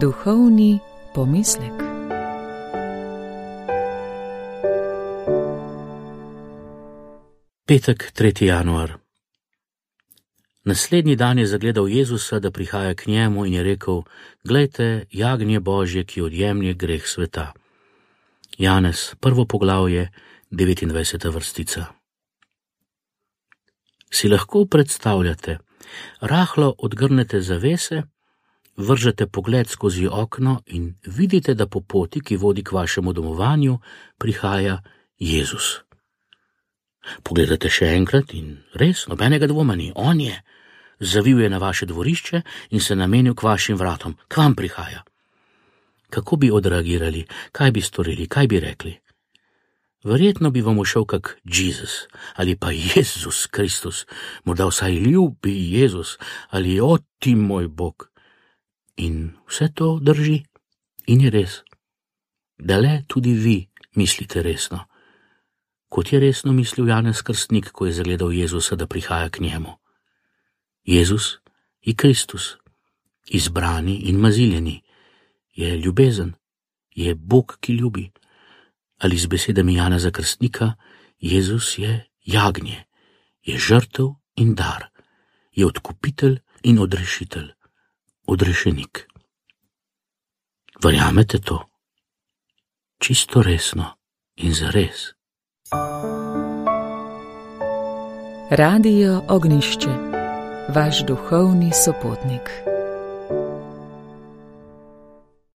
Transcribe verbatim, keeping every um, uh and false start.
Duhovni pomislek. Petek, tretji januar. Naslednji dan je zagledal Jezusa, da prihaja k njemu, in je rekel: Glejte, jagnje Božje, ki odjemlje greh sveta. Janez, prvo poglavje, devetindvajseta vrstica. Si lahko predstavljate, rahlo odgrnete zavese, vržete pogled skozi okno in vidite, da po poti, ki vodi k vašemu domovanju, prihaja Jezus. Pogledate še enkrat in res, nobenega dvoma ni, on je. Zavil je na vaše dvorišče in se namenil k vašim vratom, k vam prihaja. Kako bi odreagirali, kaj bi storili, kaj bi rekli? Verjetno bi vam ušel kak Jezus ali pa Jezus Kristus, morda vsaj ljubi Jezus ali o ti moj Bog. In vse to drži in je res. Da le tudi vi mislite resno. Kot je resno mislil Janez Krstnik, ko je zagledal Jezusa, da prihaja k njemu. Jezus je Kristus, izbrani in maziljeni, je ljubezen, je Bog, ki ljubi. Ali z besedami Janeza Krstnika, Jezus je jagnje, je žrtev in dar, je odkupitelj in odrešitelj, odrešenik. Verjamete to? Čisto resno in zares. Radio Ognjišče, vaš duhovni sopotnik.